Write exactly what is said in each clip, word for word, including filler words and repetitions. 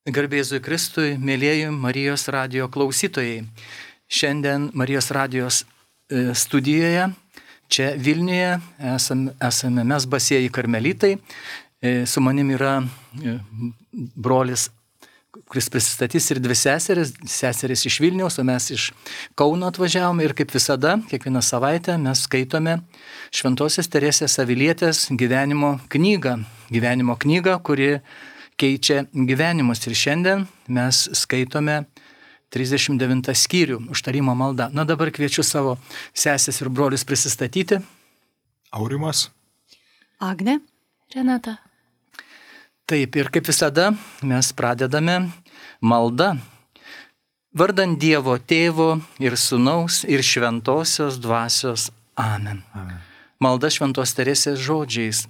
Garbė Jėzui Kristui, mėlyjeji Marijos radijo klausytojai. Šiandien Marijos radijos studijoje, čia Vilniuje, esame, esame mes basieji karmelitai. Su manim yra brolis, kuris prisistatys, ir dvi seseris, seseris iš Vilniaus, o mes iš Kauno atvažiavome. Ir kaip visada, kiekvieną savaitę mes skaitome Šventosios Teresės Avilietės gyvenimo knygą. Gyvenimo knygą, kuri keičia gyvenimus. Ir šiandien mes skaitome trisdešimt devintą skyrių, užtarimo malda. Na dabar kviečiu savo sesės ir brolius prisistatyti. Aurimas. Agnė. Renata. Taip, ir kaip visada mes pradedame maldą. Vardant Dievo Tėvo ir Sūnaus ir Šventosios Dvasios. Amen. Amen. Malda Šventos Teresės žodžiais.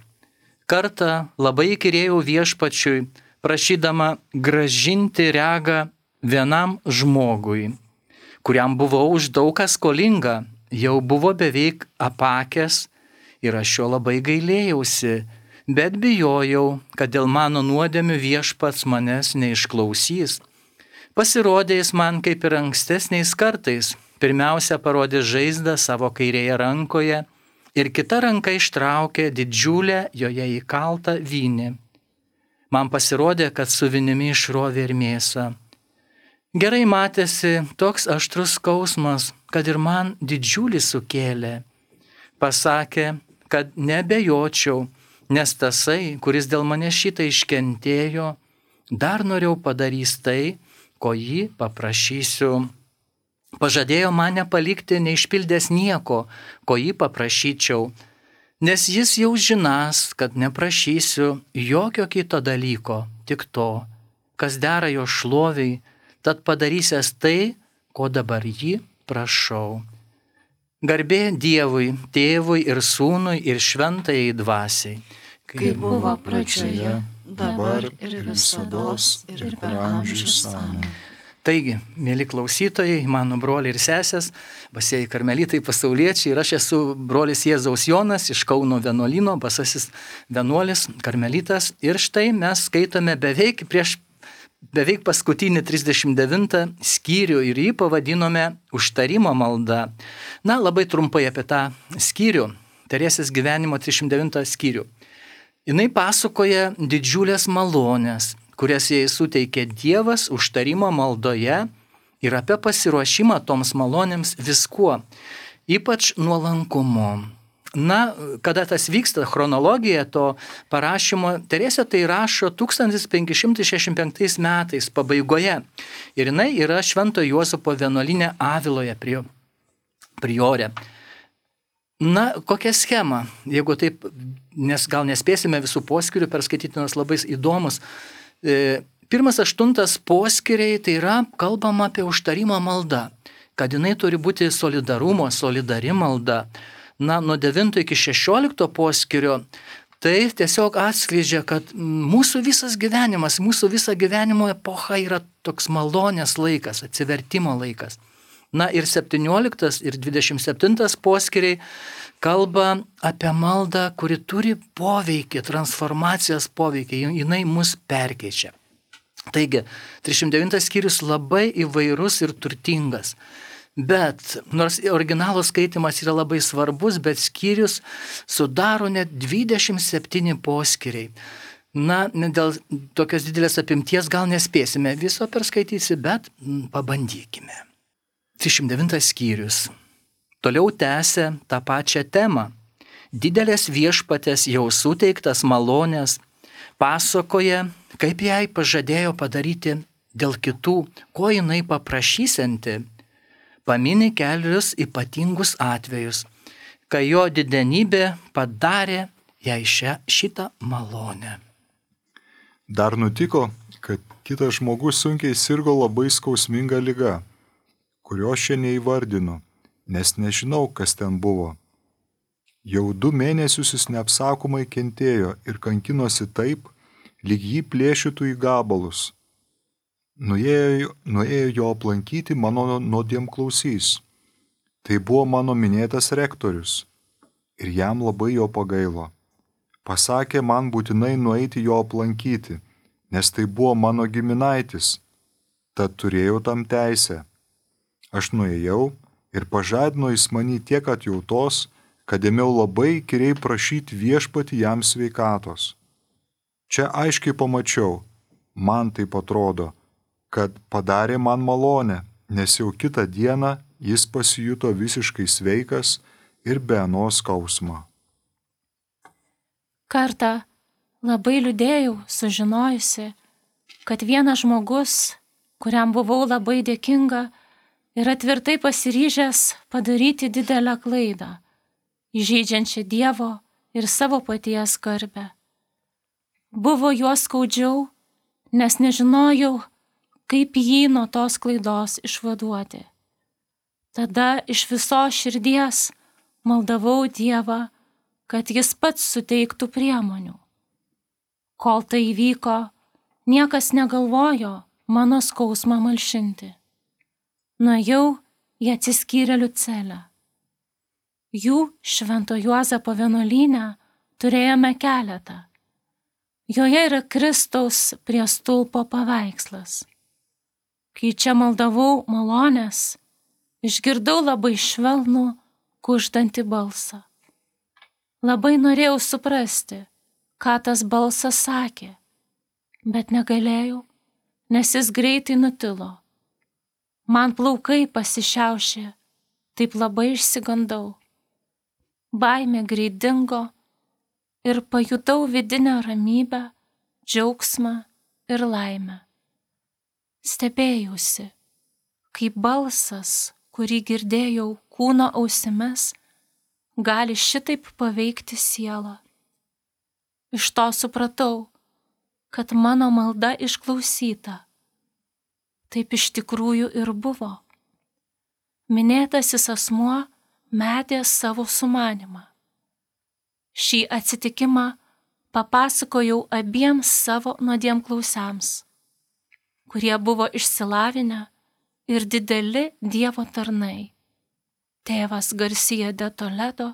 Kartą labai įkyrėjau viešpačiui, prašydama gražinti regą vienam žmogui, kuriam buvau už daug ką skolinga, jau buvo beveik apakęs ir aš jo labai gailėjausi, bet bijojau, kad dėl mano nuodėmių viešpats manęs neišklausys. Pasirodė jis man kaip ir ankstesniais kartais, pirmiausia parodė žaizdą savo kairėje rankoje, ir kita ranka ištraukė didžiulę joje įkaltą vynį. Man pasirodė, kad su vinimi išrovė ir mėsą. Gerai matėsi toks aštrus skausmas, kad ir man didžiulį sukėlė. Pasakė, kad nebejočiau, nes tasai, kuris dėl mane šitą iškentėjo, dar noriau padarys tai, ko jį paprašysiu. Pažadėjo man nepalikti neišpildęs nieko, ko jį paprašyčiau, nes jis jau žinas, kad neprašysiu jokio kito dalyko, tik to, kas dera jo šloviai, tad padarysęs tai, ko dabar jį prašau. Garbė Dievui, Tėvui ir Sūnui ir Šventajai Dvasiai, Kaip buvo pradžioje, dabar ir visados ir per amžius. Amen. Taigi, mėly klausytojai, mano broliai ir sesės, basieji karmelitai, pasauliečiai, ir aš esu brolis Jėzaus Jonas iš Kauno vienuolyno, basasis vienuolis, karmelitas. Ir štai mes skaitome beveik prieš beveik paskutinį trisdešimt devintą skyrių ir jį pavadinome užtarimo malda. Na, labai trumpai apie tą skyrių, Teresės gyvenimo trisdešimt devintą skyrių. Jinai pasakoja didžiulės malonės, kurias jai suteikė Dievas užtarimo maldoje ir apie pasiruošimą toms malonėms viskuo, ypač nuolankumu. Na, kada tas vyksta, chronologija to parašymo, Teresė tai rašo tūkstantis penki šimtai šešiasdešimt penktais metais pabaigoje. Ir jinai yra Švento Juozapo vienuolyne Aviloje priorė. Na, kokia schema, jeigu taip, nes gal nespėsime visų poskyrių perskaityti, nors labai įdomus. Pirmas aštuntas poskyriai, tai yra kalbama apie užtarimo maldą, kad jinai turi būti solidarumo, solidari malda. Na, nuo devinto iki šešiolikto poskyrio, tai tiesiog atskleidžia, kad mūsų visas gyvenimas, mūsų visa gyvenimo epocha yra toks malonės laikas, atsivertimo laikas. Na ir septynioliktas ir dvidešimt septintas poskyriai kalba apie maldą, kuri turi poveikį, transformacijos poveikį, jinai mus perkeičia. Taigi, trisdešimt devintas skyrius labai įvairus ir turtingas. Bet, nors originalo skaitimas yra labai svarbus, bet skyrius sudaro net dvidešimt septyni poskyriai. Na, dėl tokios didelės apimties gal nespėsime viso perskaityti, bet pabandykime. trisdešimt devintas skyrius. Toliau tęsia tą pačią temą. Didelės viešpatės jau suteiktas malonės pasakoja, kaip jai pažadėjo padaryti dėl kitų, ko jinai paprašysianti. Pamini kelius ypatingus atvejus, kai jo didenybė padarė jai šią, šitą malonę. Dar nutiko, kad kitas žmogus sunkiai sirgo labai skausminga liga, kurio šiandien neįvardinu, nes nežinau, kas ten buvo. Jau du mėnesius jis neapsakomai kentėjo ir kankinosi taip, lyg jį plėšytų į gabalus. Nuėjo, nuėjo jo aplankyti mano nuodėmklausys. Tai buvo mano minėtas rektorius ir jam labai jo pagailo. Pasakė man būtinai nueiti jo aplankyti, nes tai buvo mano giminaitis, tad turėjau tam teisę. Aš nuėjau ir pažadino jis manį tiek atjautos, kad ėmiau labai įkyriai prašyti viešpatį jam sveikatos. Čia aiškiai pamačiau, man taip atrodo, kad padarė man malonę, nes jau kitą dieną jis pasijuto visiškai sveikas ir be anos skausmo. Kartą labai liūdėjau, sužinojusi, kad vienas žmogus, kuriam buvau labai dėkinga, yra tvirtai pasiryžęs padaryti didelę klaidą, įžeidžiančią Dievo ir savo paties garbę. Buvo juo skaudžiau, nes nežinojau, kaip jį nuo tos klaidos išvaduoti. Tada iš visos širdies maldavau Dievą, kad jis pats suteiktų priemonių. Kol tai įvyko, niekas negalvojo mano skausmą malšinti. Nuėjau į atsiskyrėlių celę. Jų Švento Juozapo vienuolyne turėjome keletą. Joje yra Kristaus prie stulpo paveikslas. Kai čia maldavau malonės, išgirdau labai švelnų, kuždantį balsą. Labai norėjau suprasti, ką tas balsas sakė, bet negalėjau, nes jis greitai nutilo. Man plaukai pasišiaušė, taip labai išsigandau. Baimė greit dingo ir pajutau vidinę ramybę, džiaugsmą ir laimę. Stebėjausi, kaip balsas, kurį girdėjau kūno ausimis, gali šitaip paveikti sielą. Iš to supratau, kad mano malda išklausyta. Taip iš tikrųjų ir buvo. Minėtasis asmuo metė savo sumanimą. Šį atsitikimą papasakojau abiems savo nuodėmklausiams, kurie buvo išsilavinę ir dideli Dievo tarnai. Tėvas Garcia de Toledo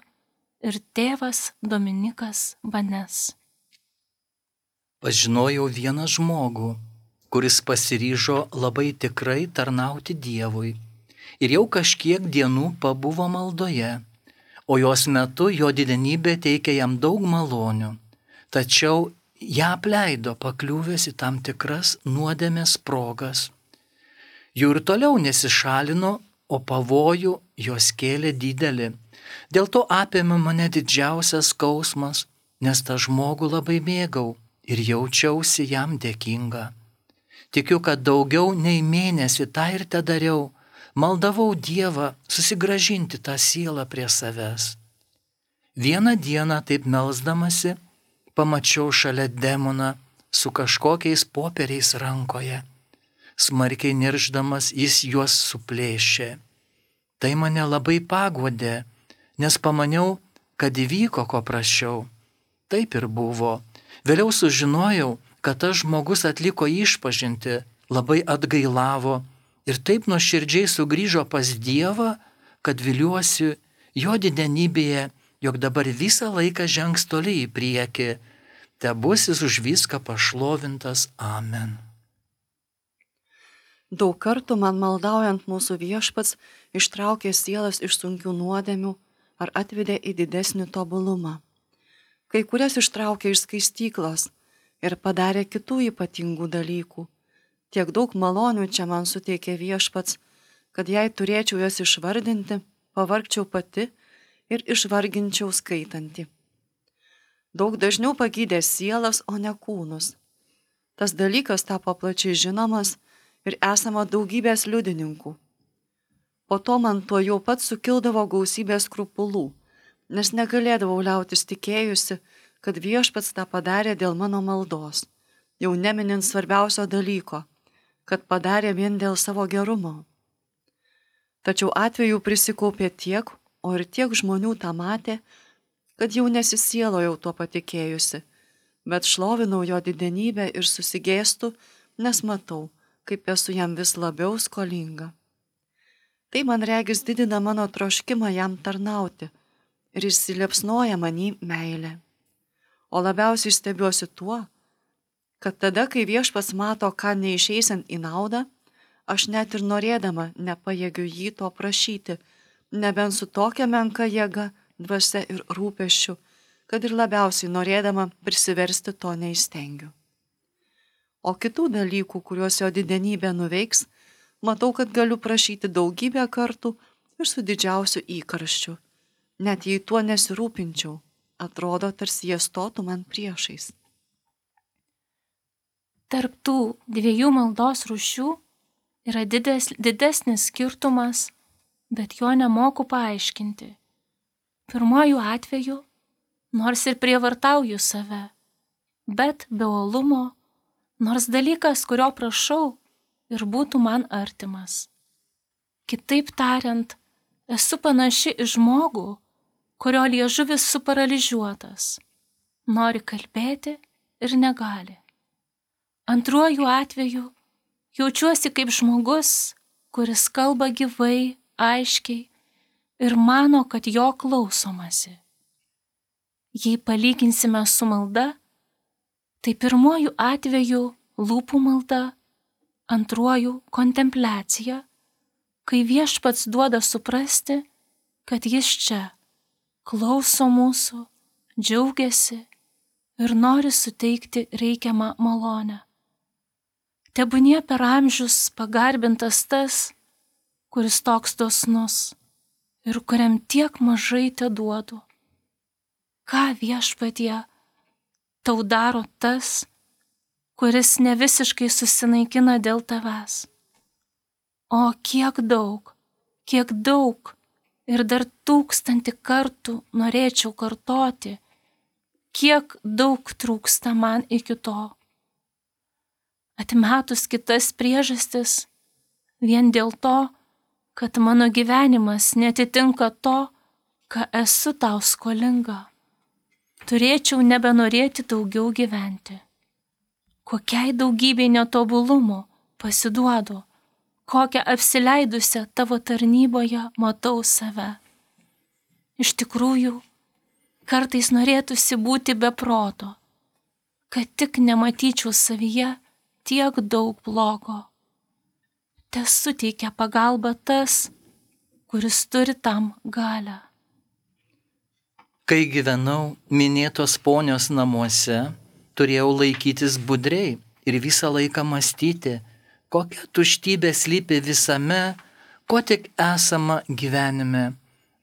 ir tėvas Dominikas Banes. Pažinojau vieną žmogų, kuris pasiryžo labai tikrai tarnauti Dievui ir jau kažkiek dienų pabuvo maldoje, o jos metu jo didenybė teikė jam daug malonių, tačiau ją apleido pakliuvęs į tam tikras nuodėmės progas. Jų ir toliau nesišalino, o pavojų jos kėlė didelį. Dėl to apėmė mane didžiausias skausmas, nes tą žmogų labai mėgau ir jaučiausi jam dėkinga. Tikiu, kad daugiau nei mėnesį tą ir te dariau, maldavau Dievą susigrąžinti tą sielą prie savęs. Vieną dieną taip melsdamasi, pamačiau šalia demoną su kažkokiais popieriais rankoje. Smarkiai niršdamas jis juos suplėšė. Tai mane labai paguodė, nes pamaniau, kad įvyko, ko prašiau. Taip ir buvo. Vėliau sužinojau, kad tas žmogus atliko išpažintį, labai atgailavo ir taip nuoširdžiai sugrįžo pas Dievą, kad viliuosi jo didenybėje, jog dabar visą laiką žengs toli į priekį. Tebus jis už viską pašlovintas. Amen. Daug kartų man maldaujant mūsų Viešpats ištraukė sielas iš sunkių nuodėmių ar atvedė į didesnį tobulumą. Kai kurias ištraukė iš skaistyklos ir padarė kitų ypatingų dalykų. Tiek daug malonių čia man suteikė Viešpats, kad jei turėčiau jas išvardinti, pavargčiau pati ir išvarginčiau skaitanti. Daug dažniau pagydė sielas, o ne kūnus. Tas dalykas tapo plačiai žinomas ir esama daugybės liudininkų. Po to man tuo jau pat sukildavo gausybė skrupulų, nes negalėdavau liautis tikėjusi, kad Viešpats tą padarė dėl mano maldos, jau neminint svarbiausio dalyko, kad padarė vien dėl savo gerumo. Tačiau atvejų prisikaupė tiek, o ir tiek žmonių tą matė, kad jau nesisielojau tuo patikėjusi, bet šlovinau jo didenybę ir susigėstu, nes matau, kaip esu jam vis labiau skolinga. Tai man regis didina mano troškimą jam tarnauti ir įsiliepsnoja manį meilė. O labiausiai stebiuosi tuo, kad tada, kai viešpats mato, ką neišeisiant į naudą, aš net ir norėdama nepajėgiu jį to prašyti, nebent su tokia menka jėga, dvasia ir rūpesčiu, kad ir labiausiai norėdama prisiversti to neįstengiu. O kitų dalykų, kuriuos jo didenybė nuveiks, matau, kad galiu prašyti daugybę kartų ir su didžiausiu įkarščiu. Net jei tuo nesirūpinčiau, atrodo, tarsi jie stotų man priešais. Tarp tų dviejų maldos rūšių yra dides, didesnis skirtumas, bet jo nemoku paaiškinti. Pirmojų atveju, nors ir prievartauju save, bet be uolumo, nors dalykas, kurio prašau, ir būtų man artimas. Kitaip tariant, esu panaši į žmogų, kurio liežuvis suparalyžiuotas, nori kalbėti ir negali. Antruoju atveju jaučiuosi kaip žmogus, kuris kalba gyvai, aiškiai ir mano, kad jo klausomasi. Jei palyginsime su malda, tai pirmuoju atveju lūpų malda, antruoju kontempliacija, kai viešpats duoda suprasti, kad jis čia klauso mūsų, džiaugiasi ir nori suteikti reikiamą malonę. Tebūnie per amžius pagarbintas tas, kuris toks dosnus ir kuriam tiek mažai te duodu. Ką viešpatie tau daro tas, kuris ne visiškai susinaikina dėl tavęs? O kiek daug, kiek daug ir dar tūkstantį kartų norėčiau kartoti, kiek daug trūksta man iki to. Atmetus kitas priežastis, vien dėl to, kad mano gyvenimas netitinka to, ką esu tau skolinga. Turėčiau nebenorėti daugiau gyventi. Kokiai daugybei netobulumų pasiduodu, kokią apsileidusią tavo tarnyboje matau save. Iš tikrųjų, kartais norėtųsi būti be proto, kad tik nematyčiau savyje tiek daug blogo. Te suteikia pagalbą tas, kuris turi tam galią. Kai gyvenau minėtos ponios namuose, turėjau laikytis budriai ir visą laiką mąstyti, kokia tuštybė slypi visame, ko tik esama gyvenime,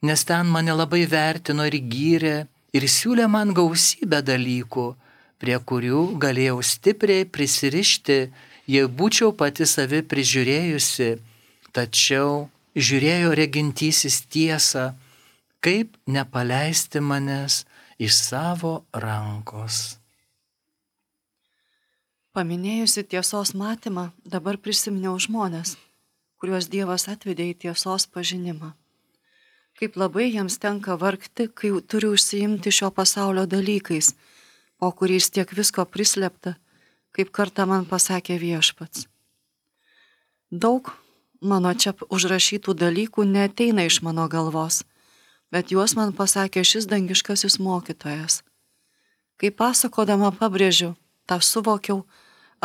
nes ten mane labai vertino ir gyrė ir siūlė man gausybę dalykų, prie kurių galėjau stipriai prisirišti, jei būčiau pati savi prižiūrėjusi, tačiau žiūrėjo regintysis tiesą, kaip nepaleisti manęs iš savo rankos. Paminėjusi tiesos matymą, dabar prisiminiau žmonės, kuriuos Dievas atvedė į tiesos pažinimą. Kaip labai jiems tenka vargti, kai turi užsiimti šio pasaulio dalykais, po kuriais tiek visko prislėpta, kaip kartą man pasakė viešpats. Daug mano čia užrašytų dalykų neateina iš mano galvos, bet juos man pasakė šis dangiškasis mokytojas. Kai pasakodama pabrėžiu, tą suvokiau,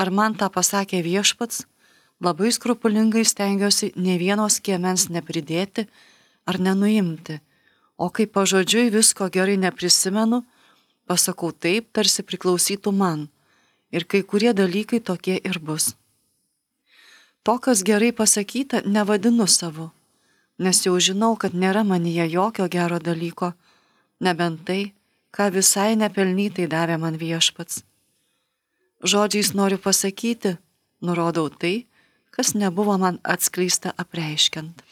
ar man tą pasakė viešpats, labai skrupulingai stengiuosi ne vienos skiemens nepridėti ar nenuimti, o kai pažodžiui visko gerai neprisimenu, pasakau taip, tarsi priklausytų man, ir kai kurie dalykai tokie ir bus. To, kas gerai pasakyta, nevadinu savu, nes jau žinau, kad nėra manyje jokio gero dalyko, nebent tai, ką visai nepelnytai davė man viešpats. Žodžiais noriu pasakyti, nurodau tai, kas nebuvo man atskleista apreiškiant.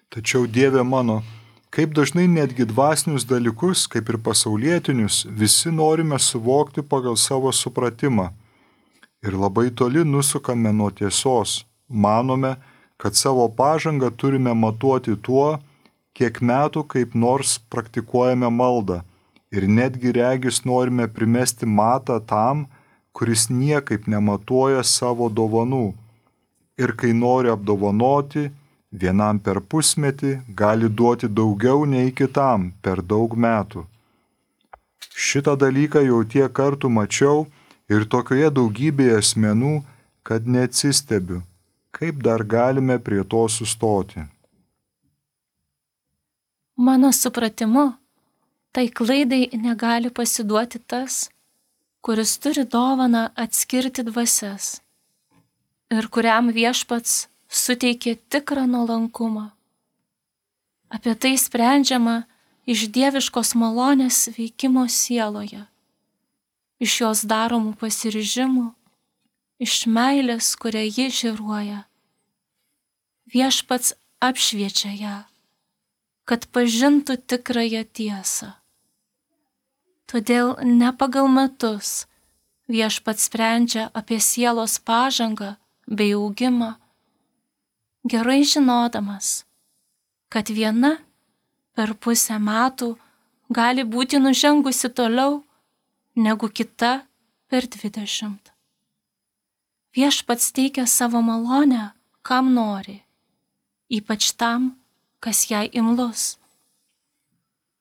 Tačiau Dieve mano, kaip dažnai netgi dvasinius dalykus, kaip ir pasaulietinius, visi norime suvokti pagal savo supratimą. Ir labai toli nusukame nuo tiesos. Manome, kad savo pažangą turime matuoti tuo, kiek metų kaip nors praktikuojame maldą. Ir netgi regis norime primesti matą tam, kuris niekaip nematuoja savo dovanų. Ir kai nori apdovanoti, vienam per pusmetį gali duoti daugiau nei kitam per daug metų. Šitą dalyką jau tiek kartų mačiau, Ir tokioje daugybėje asmenų, kad neatsistebiu, kaip dar galime prie to sustoti. Mano supratimu, tai klaidai negali pasiduoti tas, kuris turi dovaną atskirti dvasias ir kuriam Viešpats suteikė tikrą nuolankumą. Apie tai sprendžiama iš dieviškos malonės veikimo sieloje, iš jos daromų pasiryžimų, iš meilės, kurią ji žėruoja. Viešpats apšviečia ją, kad pažintų tikrąją tiesą. Todėl ne pagal metus Viešpats sprendžia apie sielos pažangą bei augimą, gerai žinodamas, kad viena per pusę metų gali būti nužengusi toliau negu kita per dvidešimt. Viešpats teikia savo malonę, kam nori, ypač tam, kas jai imlus.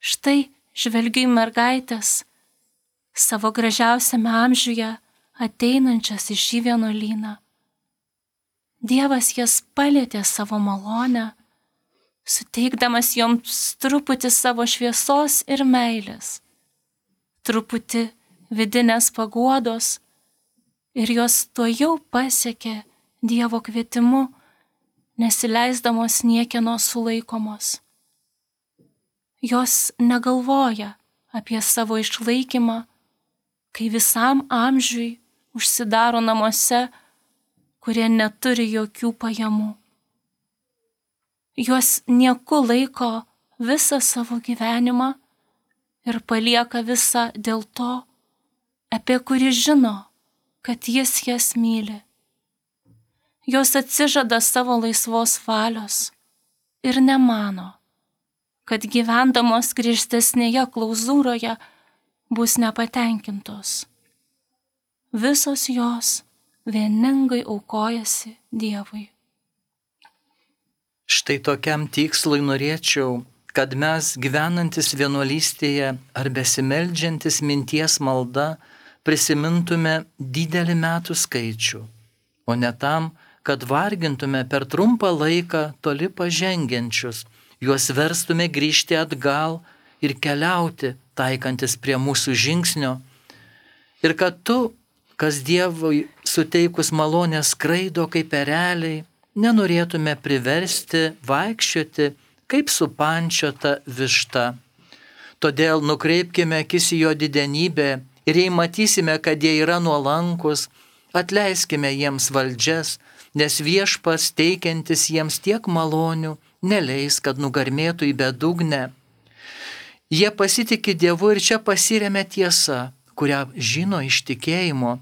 Štai žvelgiu į mergaitės, savo gražiausiame amžiuje ateinančias į šį vienuolyną. Dievas jas palietė savo malonę, suteikdamas joms truputį savo šviesos ir meilės, truputį vidinės paguodos, ir jos tuojau pasiekė Dievo kvietimu, nesileisdamos niekieno sulaikomos. Jos negalvoja apie savo išlaikymą, kai visam amžiui užsidaro namuose, kurie neturi jokių pajamų. Jos nieku laiko visą savo gyvenimą ir palieka visą dėl to, apie kurį žino, kad jis jas myli. Jos atsižada savo laisvos valios ir nemano, kad gyvendamos griežtesnėje klauzūroje bus nepatenkintos. Visos jos vieningai aukojasi Dievui. Štai tokiam tikslui norėčiau, kad mes gyvenantis vienuolystėje ar besimeldžiantis minties malda prisimintume didelį metų skaičių, o ne tam, kad vargintume per trumpą laiką toli pažengiančius, juos verstume grįžti atgal ir keliauti, taikantis prie mūsų žingsnio, ir kad tu, kas Dievui suteikus malonę skraido kaip ereliai, nenorėtume priversti vaikščioti kaip supančiota višta. Todėl nukreipkime akis į jo didenybę ir jei matysime, kad jie yra nuolankus, atleiskime jiems valdžias, nes Viešpats teikiantis jiems tiek malonių neleis, kad nugarmėtų į bedugnę. Jie pasitikė Dievu ir čia pasiremia tiesa, kurią žino iš tikėjimo.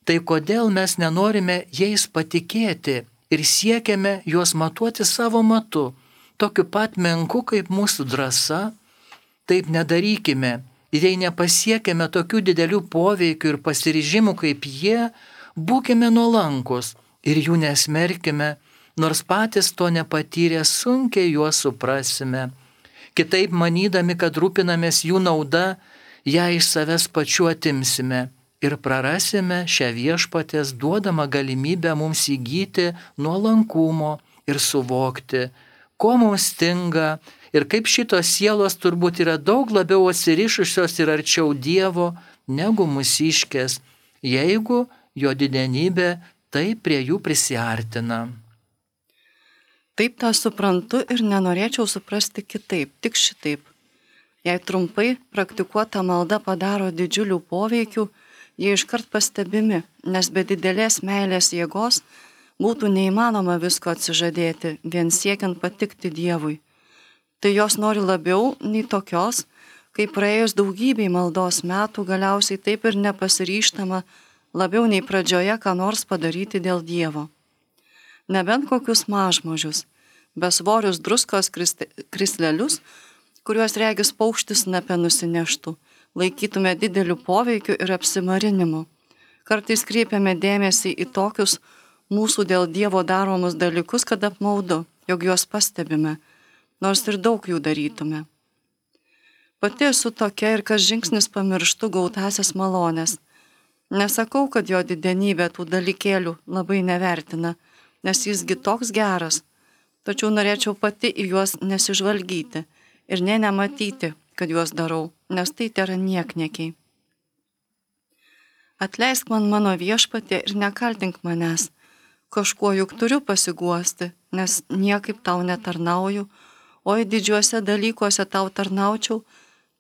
Tai kodėl mes nenorime jais patikėti ir siekiame juos matuoti savo matu, tokiu pat menku kaip mūsų drąsa? Taip nedarykime. Ir jei nepasiekime tokių didelių poveikių ir pasiryžimų kaip jie, būkime nuolankus ir jų nesmerkime, nors patys to nepatyrę sunkiai juos suprasime. Kitaip manydami, kad rūpinamės jų nauda, ją iš savęs pačių atimsime ir prarasime šią Viešpaties duodamą galimybę mums įgyti nuolankumo ir suvokti, ko mums stinga ir kaip šitos sielos turbūt yra daug labiau atsirišusios ir arčiau Dievo negu mūsiškės, jeigu jo didenybė taip prie jų prisiartina. Taip tą suprantu ir nenorėčiau suprasti kitaip, tik šitaip. Jei trumpai praktikuota malda padaro didžiulių poveikių, jie iškart pastebimi, nes be didelės meilės jėgos būtų neįmanoma visko atsižadėti, vien siekiant patikti Dievui. Tai jos nori labiau nei tokios, kai praėjus daugybei maldos metų galiausiai taip ir nepasiryžtama labiau nei pradžioje ką nors padaryti dėl Dievo. Nebent kokius mažmožius, besvorius druskos krislelius, kuriuos regis paukštis snape nusineštų, laikytume dideliu poveikiu ir apsimarinimu. Kartais kreipiame dėmesį į tokius mūsų dėl Dievo daromus dalykus, kad apmaudu, jog juos pastebime, nors ir daug jų darytume. Pati esu tokia ir kas žingsnis pamirštu gautasias malonės. Nesakau, kad jo didenybė tų dalykėlių labai nevertina, nes jisgi toks geras, tačiau norėčiau pati į juos nesižvalgyti ir nė nematyti, kad juos darau, nes tai tėra niekniekiai. Atleisk man mano viešpatie ir nekaltink manęs, kažkuo juk turiu pasiguosti, nes niekaip tau netarnauju, o į didžiuose dalykuose tau tarnaučiau,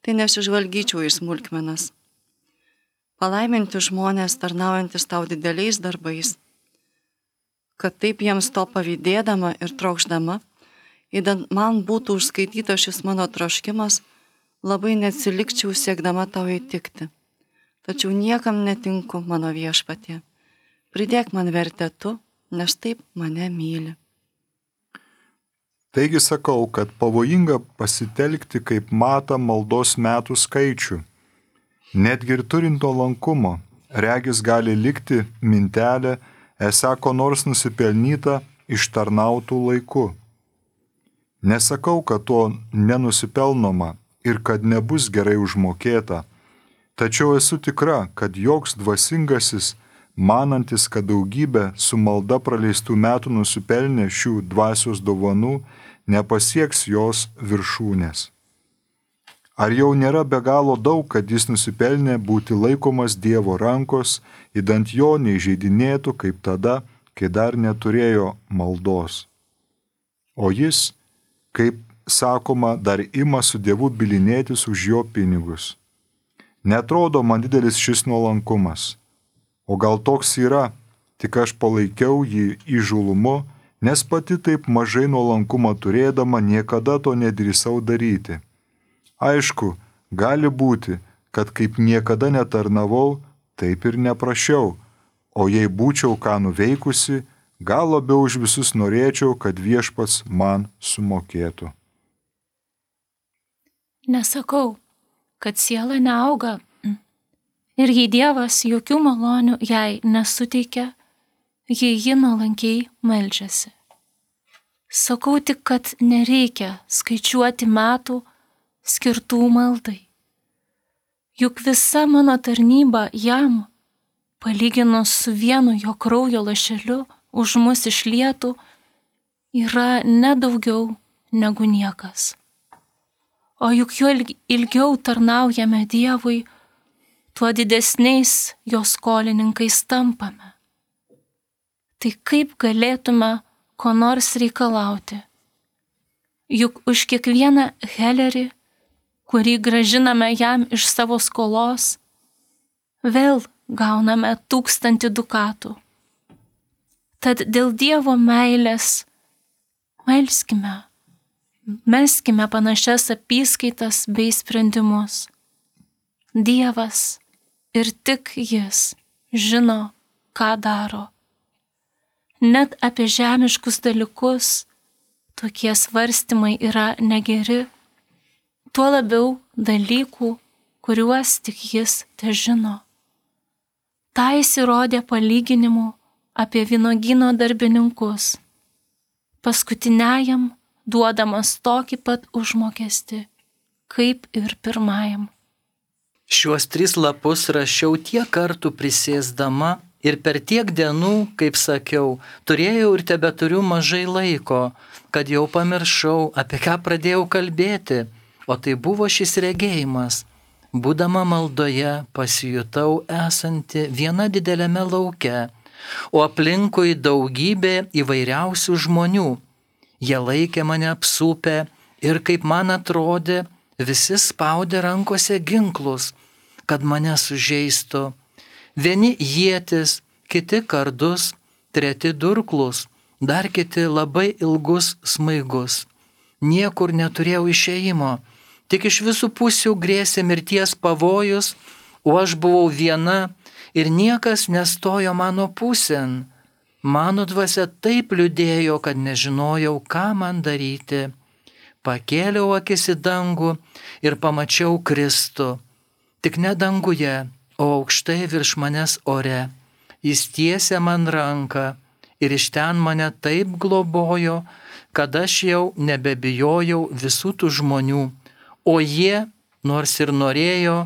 tai nesižvalgyčiau į smulkmenas. Palaiminti žmonės tarnaujantis tau dideliais darbais, kad taip jiems to pavydėdama ir trokšdama, įdant man būtų užskaitytas šis mano troškimas, labai neatsilikčiau siekdama tau įtikti. Tačiau niekam netinku mano viešpatie. Pridėk man vertę tu, nes taip mane myli. Taigi sakau, kad pavojinga pasitelkti kaip matą maldos metų skaičių. Netgi ir turint nuolankumo, regis gali likti mintelė, esą ko nors nusipelnyta ištarnautų laiku. Nesakau, kad to nenusipelnoma ir kad nebus gerai užmokėta, tačiau esu tikra, kad joks dvasingasis, manantis, kad daugybė su malda praleistų metų nusipelnė šių dvasios dovanų, nepasieks jos viršūnės. Ar jau nėra be galo daug, kad jis nusipelnė būti laikomas Dievo rankos, įdant jo neįžeidinėtų kaip tada, kai dar neturėjo maldos. O jis, kaip sakoma, dar ima su Dievu bylinėtis už jo pinigus. Netrodo man didelis šis nuolankumas. O gal toks yra, tik aš palaikiau jį įžūlumu, nes pati taip mažai nuolankumą turėdama niekada to nedrįsau daryti. Aišku, gali būti, kad kaip niekada netarnavau, taip ir neprašiau, o jei būčiau ką nuveikusi, gal labiau už visus norėčiau, kad viešpats man sumokėtų. Nesakau, kad siela neauga ir jei Dievas jokių malonių jai nesuteikia, jei ji nuolankiai meldžiasi. Sakau tik, kad nereikia skaičiuoti metų skirtų maldai. Juk visa mano tarnyba jam, palyginus su vienu jo kraujo lašeliu už mus išlietų, yra nedaugiau negu niekas. O juk juo ilgiau tarnaujame Dievui, tuo didesniais jo skolininkais tampame. Tai kaip galėtume ko nors reikalauti? Juk už kiekvieną helerį, kurį gražiname jam iš savo skolos, vėl gauname tūkstantį dukatų. Tad dėl Dievo meilės melskime, melskime panašias apyskaitas bei sprendimus. Dievas ir tik jis žino, ką daro. Net apie žemiškus dalykus tokie svarstymai yra negeri, tuo labiau dalykų, kuriuos tik jis težino. Ta įsirodė palyginimu apie vynuogyno darbininkus, paskutiniajam duodamas tokį pat užmokestį, kaip ir pirmajam. Šiuos tris lapus rašiau tiek kartų prisėsdama ir per tiek dienų, kaip sakiau, turėjau ir tebeturiu mažai laiko, kad jau pamiršau, apie ką pradėjau kalbėti, o tai buvo šis regėjimas. Būdama maldoje pasijutau esanti viena dideliame lauke, o aplinkui daugybė įvairiausių žmonių. Jie laikė mane apsupę ir, kaip man atrodė, visi spaudė rankose ginklus, kad mane sužeistų. Vieni ietis, kiti kardus, treti durklus, dar kiti labai ilgus smaigus. Niekur neturėjau išėjimo, tik iš visų pusių grėsė mirties pavojus, o aš buvau viena ir niekas nestojo mano pusėn. Mano dvasia taip liūdėjo, kad nežinojau, ką man daryti. Pakėliau akis į dangų ir pamačiau Kristų, tik ne danguje, o aukštai virš manęs ore. Jis tiesė man ranką ir iš ten mane taip globojo, kad aš jau nebebijojau visų tų žmonių, o jie, nors ir norėjo,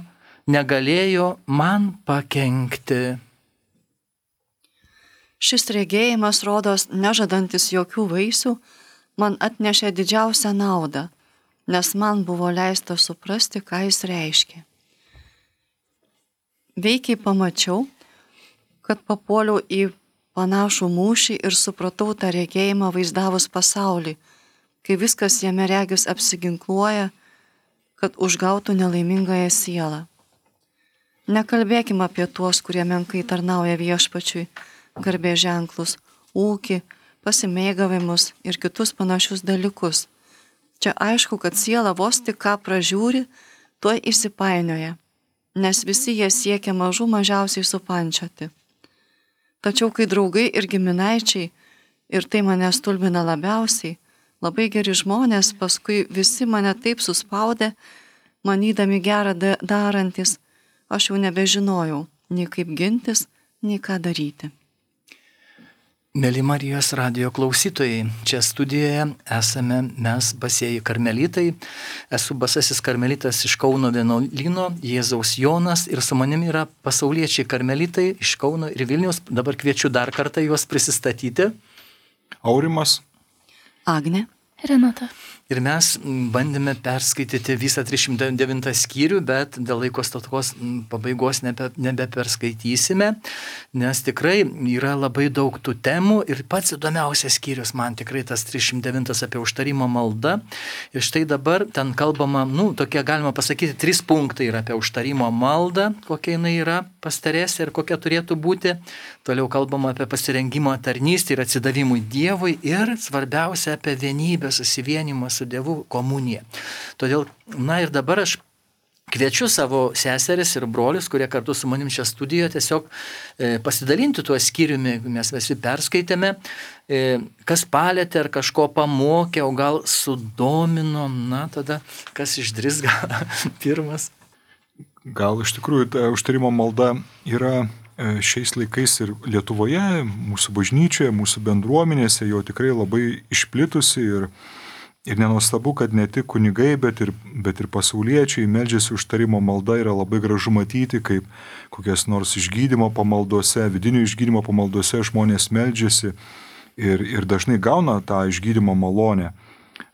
negalėjo man pakenkti. Šis regėjimas, rodos nežadantis jokių vaisių, man atnešė didžiausią naudą, nes man buvo leista suprasti, ką jis reiškia. Veikiai pamačiau, kad papuoliau į panašų mūšį ir supratau tą regėjimą vaizdavus pasaulį, kai viskas jame regis apsiginkluoja, kad užgautų nelaimingąją sielą. Nekalbėkim apie tuos, kurie menkai tarnauja viešpačiui, garbės ženklus, ūkį, pasimėgavimus ir kitus panašius dalykus. Čia aišku, kad siela vos tik ką pražiūri, tuoj įsipainioja, nes visi jie siekia mažų mažiausiai supančioti. Tačiau kai draugai ir giminaičiai, ir tai mane stulbina labiausiai, labai geri žmonės, paskui visi mane taip suspaudė, manydami gerą darantis, aš jau nebežinojau, nei kaip gintis, nei ką daryti. Mėly Marijos radijo klausytojai, čia studijoje esame mes basieji karmelitai. Esu basasis karmelitas iš Kauno vienuolyno, Jėzaus Jonas, ir su manimi yra pasauliečiai karmelitai iš Kauno ir Vilniaus. Dabar kviečiu dar kartą juos prisistatyti. Aurimas. Agnė. Renata. Ir mes bandėme perskaityti visą trisdešimt devintą skyrių, bet dėl laiko stokos pabaigos nebe, nebeperskaitysime, nes tikrai yra labai daug tų temų ir pats įdomiausias skyrius man tikrai tas trisdešimt devintas apie užtarimo maldą. Ir štai dabar ten kalbama, nu, tokie galima pasakyti, trys punktai yra apie užtarimo maldą, kokia jinai yra pas Teresę ir kokia turėtų būti. Toliau kalbama apie pasirengimo tarnystę ir atsidavimui Dievui ir svarbiausia apie vienybę, susivienimą su Dievu, komuniją. Todėl, na ir dabar aš kviečiu savo seseris ir brolius, kurie kartu su manim čia studijoje, tiesiog e, pasidalinti tuo skyriumi, mes visi perskaitėme, e, kas palėtė ar kažko pamokė, o gal sudomino, na tada kas išdrįs gal pirmas. Gal iš tikrųjų ta užtarimo malda yra šiais laikais ir Lietuvoje, mūsų bažnyčioje, mūsų bendruomenėse jau tikrai labai išplitusi ir Ir nenuostabu, kad ne tik kunigai, bet ir, bet ir pasauliečiai meldžiasi užtarimo malda, yra labai gražu matyti, kaip kokias nors išgydymo pamaldose, vidinių išgydymo pamaldose žmonės meldžiasi ir, ir dažnai gauna tą išgydymo malonę.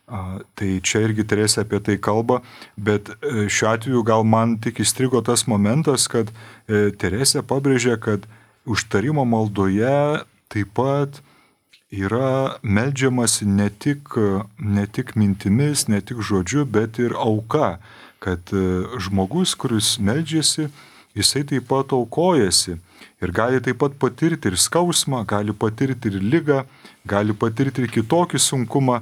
A, tai čia irgi Teresė apie tai kalba, bet šiuo atveju gal man tik įstrigo tas momentas, kad e, Teresė pabrėžė, kad užtarimo maldoje taip pat yra meldžiamasi ne tik, ne tik mintimis, ne tik žodžiu, bet ir auka, kad žmogus, kuris meldžiasi, jisai taip pat aukojasi ir gali taip pat patirti ir skausmą, gali patirti ir ligą, gali patirti ir kitokį sunkumą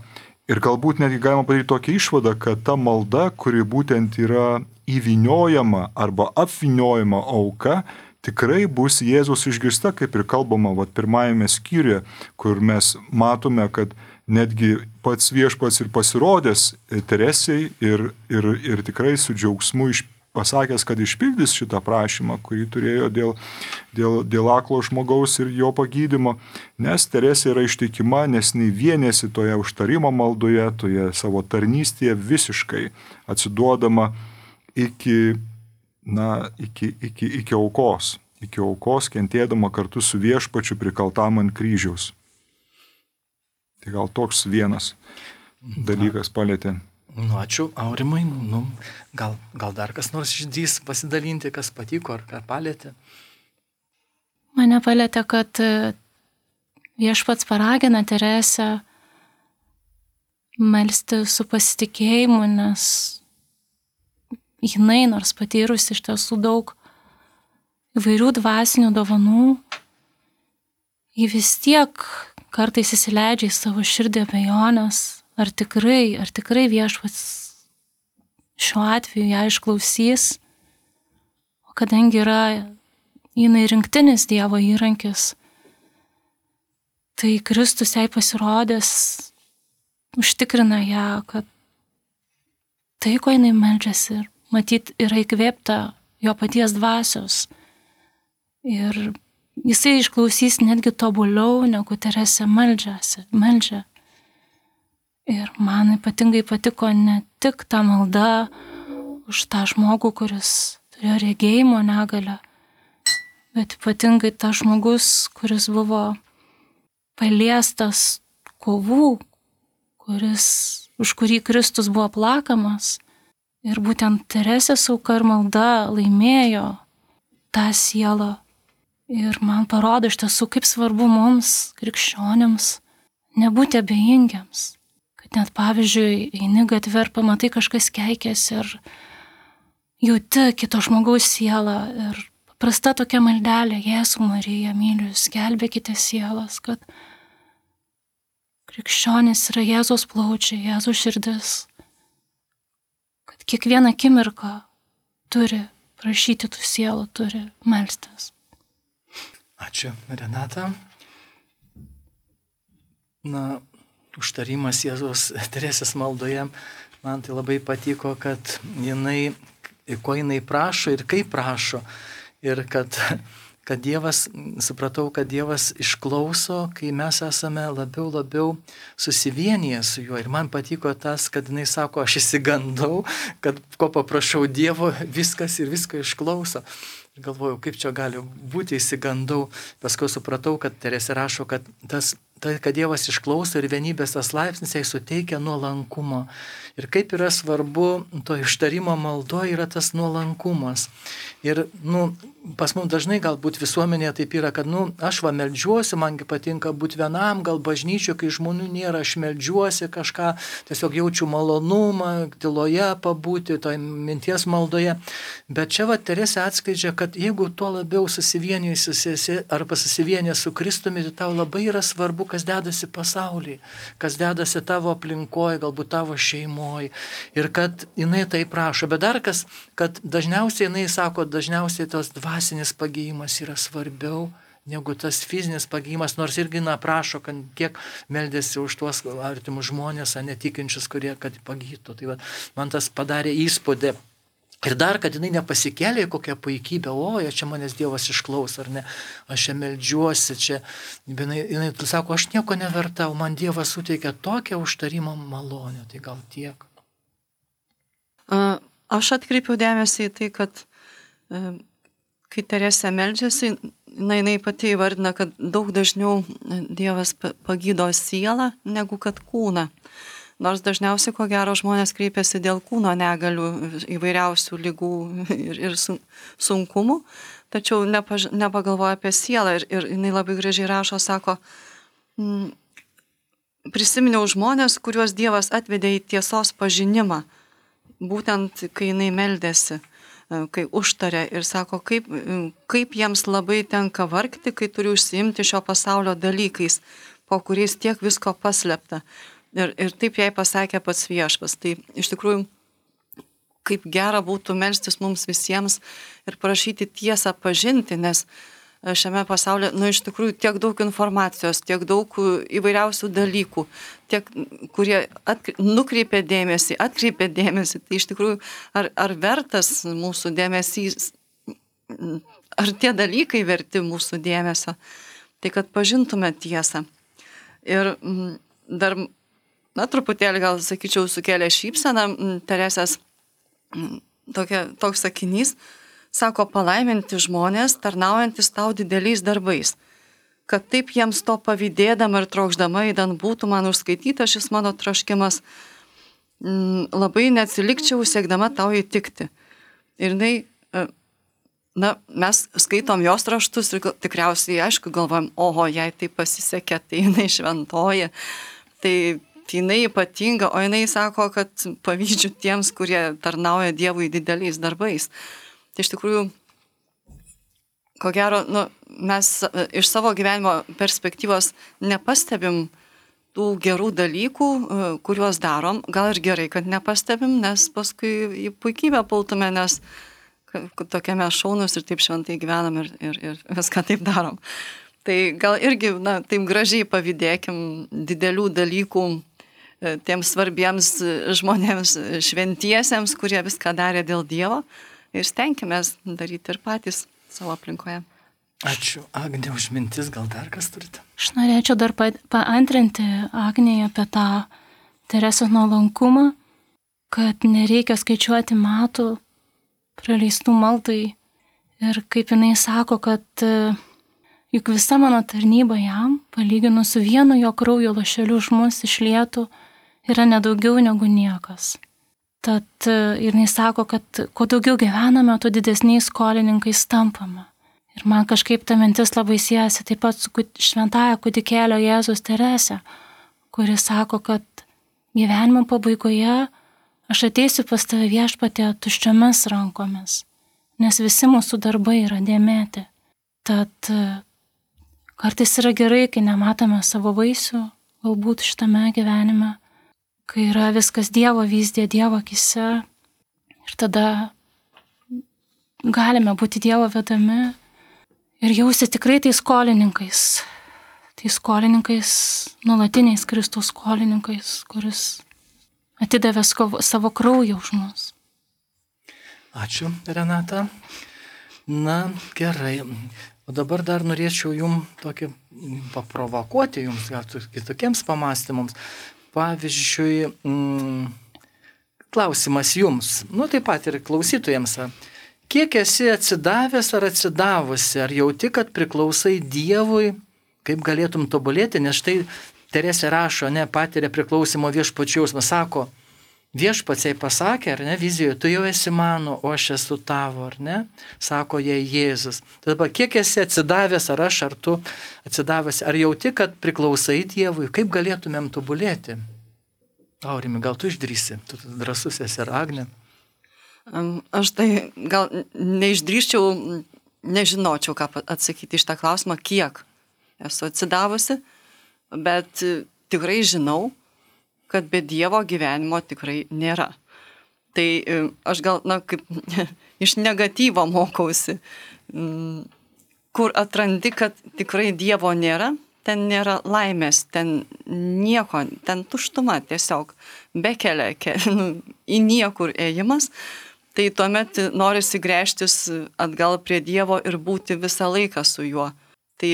ir galbūt netgi galima padaryti tokią išvadą, kad ta malda, kuri būtent yra įvyniojama arba apvyniojama auka, tikrai bus Jėzus išgirsta, kaip ir kalbama vat, pirmajame skyriuje, kur mes matome, kad netgi pats viešpats ir pasirodęs Teresei ir, ir, ir tikrai su džiaugsmu iš, pasakęs, kad išpildys šitą prašymą, kurį turėjo dėl, dėl, dėl aklo žmogaus ir jo pagydymo, nes Teresė yra ištikima, nes nei vienėsi toje užtarimo maldoje, toje savo tarnystėje visiškai atsiduodama iki na, iki, iki, iki aukos, iki aukos, kentėdama kartu su viešpačiu prikaltam ant kryžiaus. Tai gal toks vienas dalykas palėtė. Nu, ačiū, Aurimai. Nu, gal, gal dar kas nors išdrįs pasidalinti, kas patiko ar ką palėtė? Mane palėtė, kad viešpats paragina Teresę melsti su pasitikėjimu, nes jinai, nors patyrusi iš tiesų daug įvairių dvasinių dovanų, ji vis tiek kartais įsileidžia į savo širdį abejonės, ar tikrai, ar tikrai viešpats šiuo atveju ją išklausys, o kadangi yra jinai rinktinis Dievo įrankis, tai Kristus jai pasirodęs užtikrina ją, kad tai, ko jinai meldžiasi, ir matyt, yra įkvėpta jo paties dvasios. Ir jisai išklausys netgi tobuliau, negu Teresė meldžiasi, meldžia. Ir man ypatingai patiko ne tik ta malda už tą žmogų, kuris turėjo regėjimo negalią, bet ypatingai tas žmogus, kuris buvo paliestas kovų, kuris, už kurį Kristus buvo plakamas. Ir būtent Teresės auka ir malda laimėjo tą sielą. Ir man parodo iš tiesų, kaip svarbu mums, krikščionims, nebūti abejingiams. Kad net pavyzdžiui, eini gatvę ir pamatai kažkas keikiasi ir jauti kito žmogaus sielą. Ir paprasta tokia maldelė, Jėzau Marija, myliu jūs, gelbėkite sielas, kad krikščionis yra Jėzaus plaučiai, Jėzaus širdis. Kad kiekvieną akimirką turi prašyti tų sielų, turi melstis. Ačiū, Renata. Na, užtarimas Jėzaus Teresės maldoje, man tai labai patiko, kad jinai, ko jinai prašo ir kaip prašo. Ir kad, kad Dievas, supratau, kad Dievas išklauso, kai mes esame labiau, labiau susivienyje su juo. Ir man patiko tas, kad jinai sako, aš įsigandau, kad ko paprašau Dievo, viskas ir visko išklauso. Ir galvojau, kaip čia gali būti, įsigandau. Paskui supratau, kad Teresė rašo, kad tas, tai, kad Dievas išklauso ir vienybės tas laipsnis jai suteikia nuolankumo. Ir kaip yra svarbu, to ištarimo maldo yra tas nuolankumas. Ir, nu, pas mums dažnai galbūt visuomenėje taip yra, kad, nu, aš va meldžiuosi, mangi patinka būti vienam, gal bažnyčio, kai žmonių nėra, aš meldžiuosi kažką, tiesiog jaučiu malonumą, tyloje pabūti, toj minties maldoje. Bet čia va Teresė atskleidžia, kad jeigu tuo labiau susivienijusi arba susivienė su Kristumi, tai tau labai yra svarbu, kas dedasi pasaulyje, kas dedasi tavo aplinkoje, galbūt tavo šeimoje. Ir kad jinai tai prašo. Bet dar kas, kad dažniausiai jinai sako, dažniausiai tos dvasinis pagyjimas yra svarbiau negu tas fizinis pagyjimas, nors irgi na prašo, kad kiek meldėsi už tuos artimus žmonės, netikinčius, kurie kad pagytų. Tai va, man tas padarė įspūdį. Ir dar, kad jinai nepasikėlė į kokią puikybę, o, čia manęs Dievas išklaus, ar ne, aš čia meldžiuosi, čia, jinai, jinai sako, aš nieko nevertau, man Dievas suteikia tokią užtarimo malonę, tai gal tiek. Aš atkreipiau dėmesį į tai, kad kai Teresė meldžiasi, na, jinai pati įvardina, kad daug dažniau Dievas pagydo sielą negu kad kūną. Nors dažniausiai, ko gero, žmonės kreipiasi dėl kūno negalių, įvairiausių lygų ir, ir sunkumų, tačiau nepaž, nepagalvoja apie sielą. Ir, ir jinai labai gražiai rašo, sako, mm, prisiminiau žmonės, kuriuos Dievas atvedė į tiesos pažinimą, būtent kai jinai meldėsi, kai užtarė ir sako, kaip, kaip jiems labai tenka vargti, kai turi užsiimti šio pasaulio dalykais, po kuriais tiek visko paslėpta. Ir, ir taip jai pasakė pats Viešpats. Tai iš tikrųjų, kaip gera būtų melstis mums visiems ir prašyti tiesą pažinti, nes šiame pasaulyje, nu, iš tikrųjų, tiek daug informacijos, tiek daug įvairiausių dalykų, tiek, kurie atkri, nukreipia dėmesį, atkreipia dėmesį. Tai iš tikrųjų, ar, ar vertas mūsų dėmesys, ar tie dalykai verti mūsų dėmesio, tai kad pažintume tiesą. Ir dar, na, truputėlį gal, sakyčiau, sukėlė šypseną Teresės tokia, toks sakinys, sako, palaiminti žmonės, tarnaujantis tau dideliais darbais, kad taip jiems to pavydėdama ir trokšdama įdant būtų man užskaityta šis mano troškimas, labai neatsilikčiau siekdama tau įtikti. Ir jinai, na, mes skaitom jos raštus ir tikriausiai, aišku, galvojam, oho, jai tai pasisekė, tai jinai šventoji, tai jinai ypatinga, o jinai sako, kad pavydžiu tiems, kurie tarnauja Dievui dideliais darbais. Tai iš tikrųjų, ko gero, nu, mes iš savo gyvenimo perspektyvos nepastebim tų gerų dalykų, kuriuos darom. Gal ir gerai, kad nepastebim, nes paskui į puikybę pultume, nes tokie mes šaunus ir taip šventai gyvenam ir, ir, ir viską taip darom. Tai gal irgi, na, taip gražiai pavydėkim didelių dalykų tiems svarbiems žmonėms, šventiesiems, kurie viską darė dėl Dievo. Ir stenkimės daryti ir patys savo aplinkoje. Ačiū, Agnė, už mintis, gal dar kas turite? Aš norėčiau dar pa, paantrinti Agnėje apie tą Teresės nuolankumą, kad nereikia skaičiuoti metų, praleistų maldai. Ir kaip jinai sako, kad juk visa mano tarnyba jam, palyginus su vienu jo kraujo lašeliu už mus išlietų, yra nedaugiau negu niekas. Tad jinai sako, kad kuo daugiau gyvename, tuo didesniais skolininkais tampame. Ir man kažkaip ta mintis labai siejasi taip pat su šventaja kūdikėlio Jėzus Terese, kuri sako, kad gyvenimo pabaigoje aš ateisiu pas tave viešpatie tuščiomis rankomis, nes visi mūsų darbai yra dėmėti. Tad kartais yra gerai, kai nematome savo vaisių, galbūt šitame gyvenime, kai yra viskas Dievo vyzdė, Dievo akise, ir tada galime būti Dievo vedami ir jausti tikrai tais skolininkais, tais skolininkais, nuolatiniais Kristaus skolininkais, kuris atidavė savo kraują už mus. Ačiū, Renata. Na, gerai. O dabar dar norėčiau jums tokį paprovokuoti, jums gal kitokiems pamastymams. Pavyzdžiui, mm, klausimas jums, nu taip pat ir klausytojams. Kiek esi atsidavęs ar atsidavusi, ar jauti, kad priklausai Dievui, kaip galėtum tobulėti, nes štai Teresė rašo, ne, patiria priklausimo viešpačių jausmą, sako, viešpats jai pasakė, ar ne, vizijoje, tu jau esi mano, o aš esu tavo, ar ne, sako jai Jėzus. Tai dabar, kiek esi atsidavęs, ar aš, ar tu atsidavęs, ar jauti, kad priklausai Dievui, kaip galėtumėm tobulėti? Aurimi, gal tu išdrįsi, tu drąsus esi, ar Agnė? Aš tai gal neišdrįščiau, nežinočiau, ką atsakyti iš tą klausimą, kiek esu atsidavusi, bet tikrai žinau, kad be Dievo gyvenimo tikrai nėra. Tai aš gal, na, kaip iš negatyvo mokausi, kur atrandi, kad tikrai Dievo nėra, ten nėra laimės, ten nieko, ten tuštuma tiesiog, bekelia, ke, nu, į niekur ėjimas. Tai tuomet norisi gręžtis atgal prie Dievo ir būti visą laiką su juo. Tai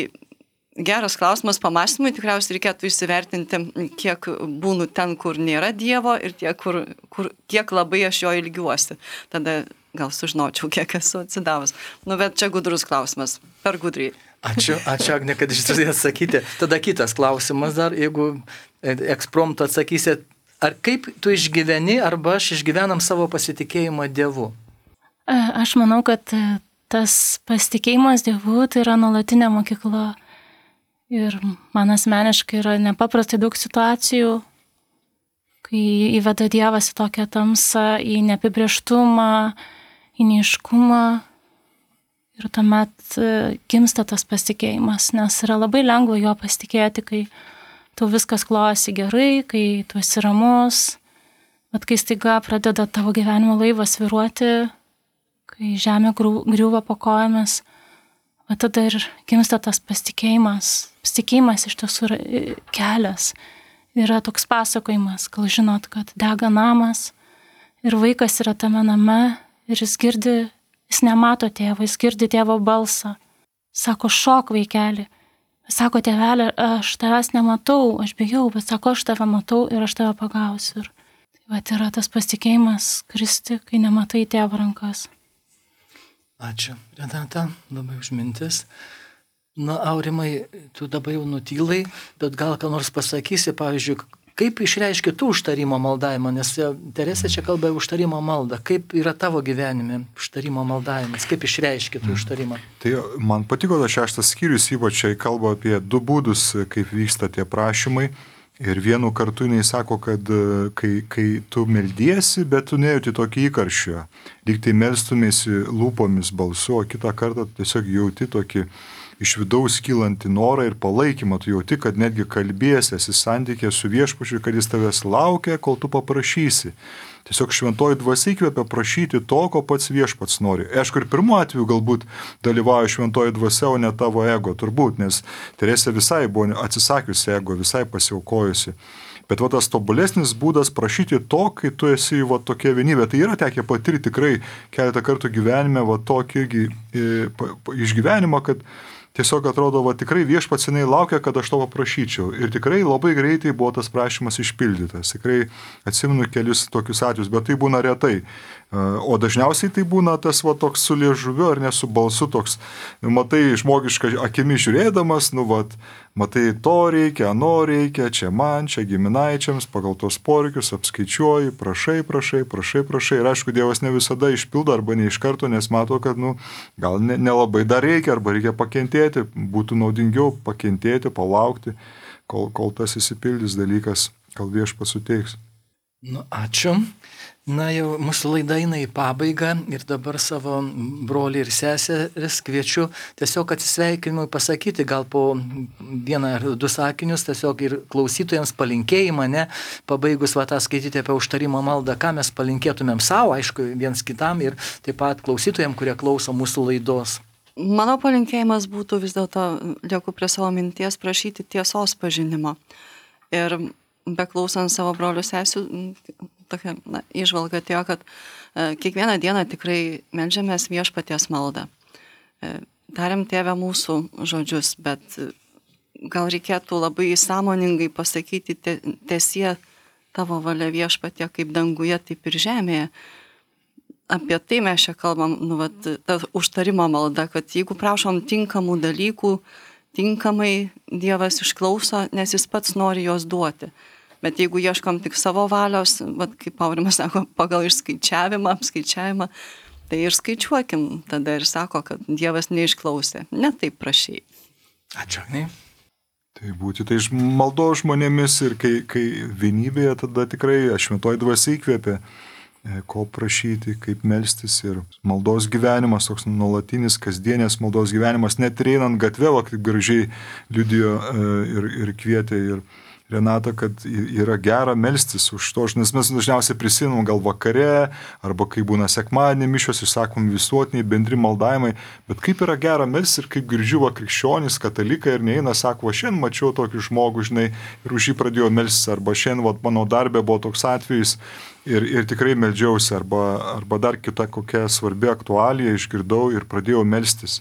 geras klausimas pamąstymui, tikriausiai reikėtų įsivertinti, kiek būnu ten, kur nėra Dievo ir tiek, kur, kur, kiek labai aš jo ilgiuosi. Tada gal sužinočiau, kiek esu atsidavus. Nu, bet čia gudrus klausimas, per gudriai. Ačiū, ačiū Agne, kad išdrįsai atsakyti. Tada kitas klausimas dar, jeigu ekspromtu atsakysit, ar kaip tu išgyveni, arba aš išgyvenam savo pasitikėjimą Dievu? Aš manau, kad tas pasitikėjimas Dievu tai yra nuolatinė mokykla. Ir man asmeniškai yra nepaprastai daug situacijų, kai įveda Dievas į tokią tamsą, į neapibrėžtumą, į neiškumą. Ir tuomet gimsta tas pasitikėjimas, nes yra labai lengva jo pasitikėti, kai tau viskas klojasi gerai, kai tu esi ramus, bet kai staiga pradeda tavo gyvenimo laivas svyruoti, kai žemė griūva po kojomis, bet tada ir gimsta tas pasitikėjimas. Pasitikėjimas iš tiesų yra kelias. Yra toks pasakojimas, gal žinot, kad dega namas ir vaikas yra tame name ir jis girdi, jis nemato tėvo, jis girdi tėvo balsą. Sako, šok vaikeli. Sako, tėvelė, aš tavęs nematau, aš bijau, bet sako, aš tave matau ir aš tave pagausiu. Ir tai va, yra tas pasitikėjimas kristi, kai nematai tėvo rankas. Ačiū, Renata, labai už mintis. Na, Aurimai, tu dabar jau nutylai, bet gal ką nors pasakysi, pavyzdžiui, kaip išreiški tu užtarimo maldavimą, nes Teresė čia kalba užtarimo maldą. Kaip yra tavo gyvenime užtarimo maldavimas? Kaip išreiški tu užtarimą? Tai man patiko tas šeštas skyrius, ypač čia kalba apie du būdus, kaip vyksta tie prašymai. Ir vienu kartu jinai sako, kad kai, kai tu meldiesi, bet tu nejauti tokį įkarščio. Lyg tai melstumėsi lūpomis balsu, o kitą kartą tiesiog jauti tokį iš vidaus kylantį norą ir palaikymą, tu jauti, kad netgi kalbėsi, esi santykė su viešpačiu, kad jis tavęs laukia, kol tu paprašysi. Tiesiog šventoji dvasia įkvepia prašyti to, ko pats viešpats nori. Aišku, ir pirmu atveju galbūt dalyvauja šventoji dvasia, o ne tavo ego, turbūt, nes Teresė visai buvo atsisakiusi ego, visai pasiaukojusi. Bet va tas tobulesnis būdas prašyti to, kai tu esi va tokia vienybė. Tai yra tekę patirti tikrai keletą kartų gyvenime va tokį išgyvenimą, kad tiesiog atrodo, va tikrai viešpats seniai laukia, kad aš to paprašyčiau. Ir tikrai labai greitai buvo tas prašymas išpildytas. Tikrai atsimenu kelius tokius atvejus, bet tai būna retai. O dažniausiai tai būna tas va toks su liežuviu ar ne su balsu toks, matai žmogišką akimi žiūrėdamas, nu va, matai to reikia, ano reikia, čia man, čia giminaičiams, pagal tos poreikius apskaičiuoji, prašai, prašai, prašai, prašai. Ir aišku, Dievas ne visada išpildo arba ne iš karto, nes mato, kad nu, gal nelabai dar reikia arba reikia pakentėti, būtų naudingiau pakentėti, palaukti, kol, kol tas įsipildys dalykas, kol Viešpats suteiks. Nu, ačiū. Na jau mūsų laida eina į pabaigą ir dabar savo brolį ir seseris kviečiu tiesiog atsisveikinimui pasakyti gal po vieną ar du sakinius, tiesiog ir klausytojams palinkėjimą, ne, pabaigus va tą skaityti apie užtarimo maldą, ką mes palinkėtumėm savo, aišku, viens kitam ir taip pat klausytojams, kurie klauso mūsų laidos. Mano palinkėjimas būtų vis dėlto, lieku prie savo minties, prašyti tiesos pažinimo. Ir beklausant savo brolių sesių, tokia na, įžvalga atėjo, kad e, kiekvieną dieną tikrai meldžiamės Viešpaties maldą. E, Tariam Tėve mūsų žodžius, bet e, gal reikėtų labai sąmoningai pasakyti tiesie tavo valia Viešpatie, kaip danguje, taip ir žemėje. Apie tai mes čia kalbam, nu, vat, ta užtarimo malda, kad jeigu prašom tinkamų dalykų, tinkamai Dievas išklauso, nes jis pats nori juos duoti. Bet jeigu ieškom tik savo valios, vat, kaip Aurimas sako, pagal išskaičiavimą, apskaičiavimą, tai ir skaičiuokim tada ir sako, kad Dievas neišklausė. Ne taip prašai. Ačiū, ne? Tai būti tai maldo žmonėmis ir kai, kai vienybėje tada tikrai šventoji dvasia įkvėpė, ko prašyti, kaip melstis ir maldos gyvenimas, toks nuolatinis, kasdienės maldos gyvenimas, net ir einant gatvę, kaip gražiai liudijo ir, ir kvietė ir Renata, kad yra gera melstis už to, nes mes dažniausiai prisiminam gal vakare, arba kai būna sekmadienį mišios, išsakom visuotiniai bendri maldavimai, bet kaip yra gera melstis ir kaip girdžiu va krikščionys, katalikai ir neina, sako, va šiandien mačiau tokį žmogų, žinai, ir už jį pradėjau melstis, arba šiandien va mano darbė buvo toks atvejis ir, ir tikrai meldžiausi, arba, arba dar kita kokia svarbi aktualija išgirdau ir pradėjau melstis.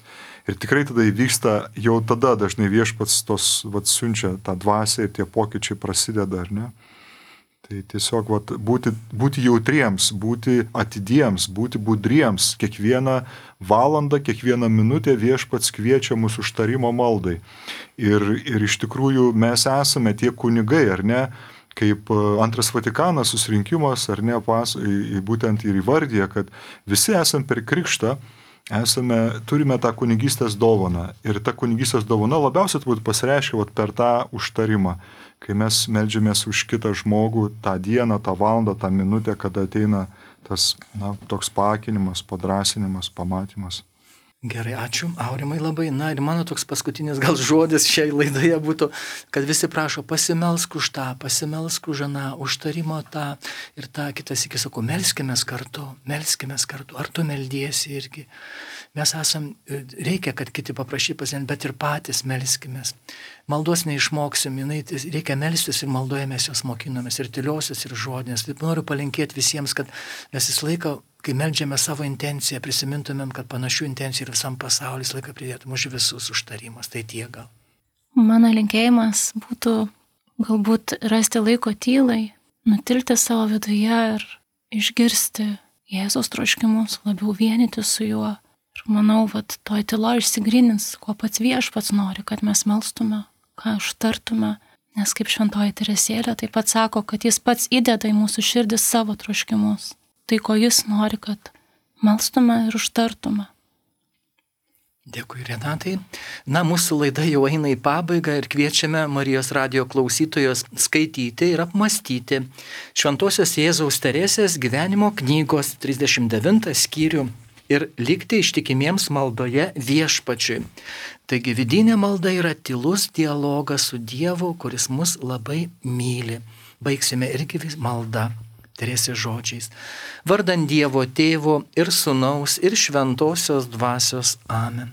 Ir tikrai tada įvyksta, jau tada dažnai Viešpats tos, vat, siunčia tą dvasią ir tie pokyčiai prasideda, ar ne? Tai tiesiog vat, būti, būti jautriems, būti atidiems, būti budriems. Kiekvieną valandą, kiekvieną minutę Viešpats kviečia mūsų užtarimo maldai. Ir, ir iš tikrųjų mes esame tie kunigai, ar ne? Kaip antras Vatikanas susirinkimas, ar ne, pas, būtent ir įvardyja, kad visi esam per krikštą, Esame, turime tą kunigystės dovaną ir ta kunigystės dovana labiausiai turbūt pasireiškia vat, per tą užtarimą, kai mes meldžiamės už kitą žmogų tą dieną, tą valandą, tą minutę, kada ateina tas na, toks paakinimas, padrasinimas, pamatymas. Gerai, ačiū, Aurimai labai. Na ir mano toks paskutinis gal žodis šiai laidoje būtų, kad visi prašo pasimelsk už tą, pasimelsk už aną, užtarimo tą ir tą. Kitas iki sakau, melskimės kartu, melskimės kartu. Ar tu meldiesi irgi? Mes esam, reikia, kad kiti paprašy pasien, bet ir patys melskimės. Maldos neišmoksim, jinai, reikia melstis ir maldoje mes jos mokinomės, ir tyliosios, ir žodinės. Taip noriu palinkėti visiems, kad mes visą laiką, kai meldžiame savo intenciją, prisimintumėm, kad panašių intencijų ir visam pasauliu visą laiką pridėtum už visus užtarimus. Tai tiek gal. Mano linkėjimas būtų galbūt rasti laiko tylai, nutilti savo viduje ir išgirsti Jėzaus troškimus, labiau vienyti su juo. Ir manau, kad toj tylo išsigrynins, ko pats Viešpats nori, kad mes melstume, ką užtartume. Nes kaip šventoji Teresėlė taip pat sako, kad jis pats įdeda į mūsų širdį savo troškimus. Tai, ko jis nori, kad melstume ir užtartume. Dėkui, Renatai. Na, mūsų laida jau eina į pabaigą ir kviečiame Marijos radijo klausytojos skaityti ir apmastyti Šventosios Jėzaus Teresės gyvenimo knygos trisdešimt devintą skyrių ir likti ištikimiems maldoje Viešpačiui. Taigi vidinė malda yra tylus dialogas su Dievu, kuris mus labai myli. Baigsime irgi maldą Teresės žodžiais. Vardan Dievo Tėvo ir Sūnaus ir Šventosios Dvasios. Amen.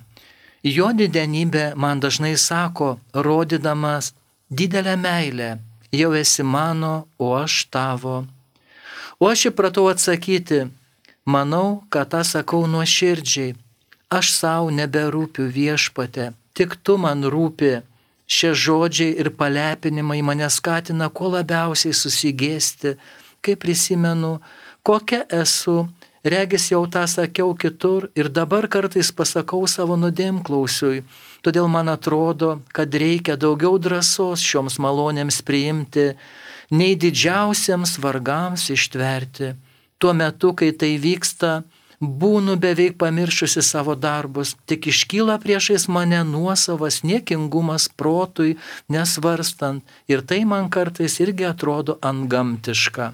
Jo didenybė man dažnai sako, rodydamas didelę meilę, jau esi mano, o aš tavo. O aš įpratau atsakyti, manau, kad tą sakau nuoširdžiai. Aš savo neberūpiu Viešpate, tik tu man rūpi. Šie žodžiai ir palepinimai mane skatina kuo labiausiai susigėsti, kai prisimenu, kokia esu Regis jau tą sakiau kitur ir dabar kartais pasakau savo nuodėmklausiui. Todėl man atrodo, kad reikia daugiau drąsos šioms malonėms priimti, nei didžiausiems vargams ištverti. Tuo metu, kai tai vyksta, būnu beveik pamiršusi savo darbus, tik iškyla priešais mane nuosavas niekingumas protui nesvarstant ir tai man kartais irgi atrodo antgamtiška.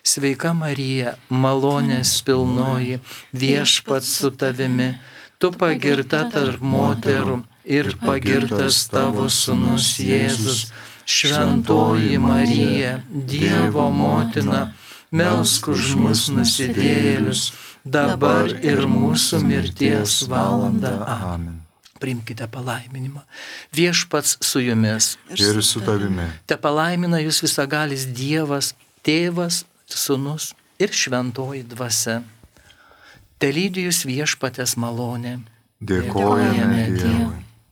Sveika Marija, malonės pilnoji, viešpats su tavimi, tu pagirta tarp moterų ir pagirtas tavo sūnus Jėzus. Šventoji Marija, Dievo motina, melsk už mus nusidėjėlius, dabar ir mūsų mirties valanda. Amen. Priimkite palaiminimą. Viešpats su jumis. Ir su tavimi. Te palaimina jūs visagalis Dievas, Tėvas, Sūnus ir Šventoji Dvasia. Te lydi jūs viešpatės malonė. Dėkojame Dievui.